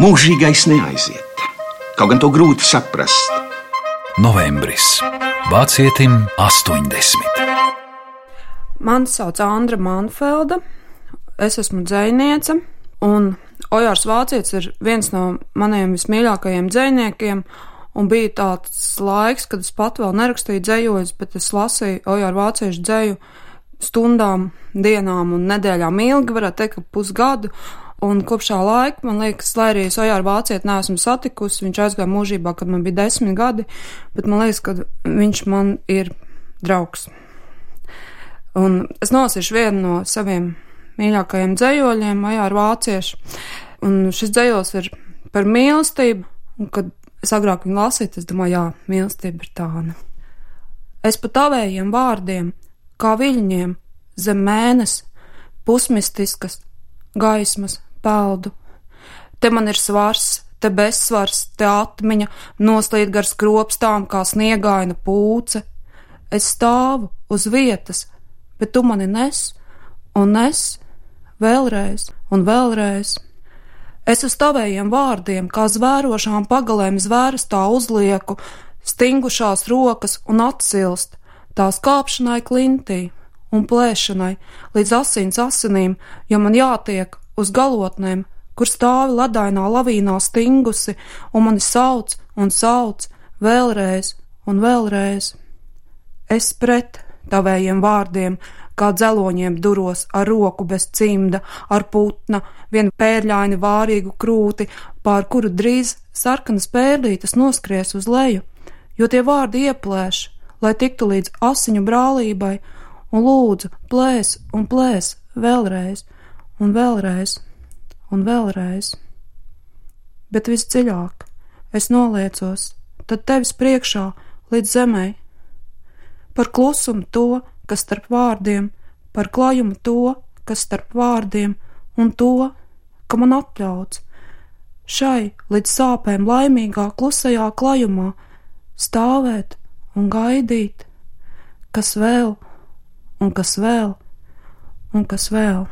Mūžīgais neaiziet, kaut gan to grūti saprast. Novembris. Vācietim 80. Mani sauc Andra Manfelda, es esmu dzejniece, un Ojārs Vācietis ir viens no maniem vismīļākajiem dzejniekiem, un bija tāds laiks, kad es pat vēl nerakstīju dzejojus, bet es lasīju Ojāru Vāciešu dzeju stundām, dienām un nedēļām ilgi, varētu teikt, ka pusgadu. Un kopš tā laika, man liekas, lai arī es Ojāru Vācieti neesmu satikusi, viņš aizgāja mūžībā, kad man bija 10 gadi, bet man liekas, ka viņš man ir draugs. Un es nolasīšu vienu no saviem mīļākajiem dzejoļiem, Ojāru Vāciešu, un šis dzejols ir par mīlestību, un kad es agrāk viņu lasīju, es domāju, jā, mīlestība ir tāda. Es pa tavējiem vārdiem, kā viļņiem, zem mēnes, pusmistiskas gaismas peldu. Te man ir svars, te bezsvars, te atmiņa, noslīd gar skropstām kā sniegaina pūce. Es stāvu uz vietas, bet tu mani nes, un nes, vēlreiz un vēlreiz. Es uz tavējiem vārdiem, kā zvērošām pagalēm zvērstā uzlieku, stingušās rokas un atsilst, tās kāpšanai klintī un plēšanai līdz asins asinīm, jo man jātiek uz galotnēm, kur stāvi ledainā lavīnā stingusi, un mani sauc un sauc vēlreiz un vēlreiz. Es pret tavējiem vārdiem, kā dzeloņiem duros ar roku bez cimda, ar putna, vien pērļaini vārīgu krūti, pār kuru drīz sarkanas pērlītes noskries uz leju, jo tie vārdi ieplēš, lai tiktu līdz asiņu brālībai, un lūdzu plēs un plēs vēlreiz un vēlreiz un vēlreiz. Bet visdziļāk es noliecos, tad tevis priekšā līdz zemei, par klusumu to, kas starp vārdiem, par klajumu to, kas starp vārdiem, un to, ka man atļauts šai līdz sāpēm laimīgā klusajā klajumā stāvēt un gaidīt, kas vēl, un kas vēl, un kas vēl.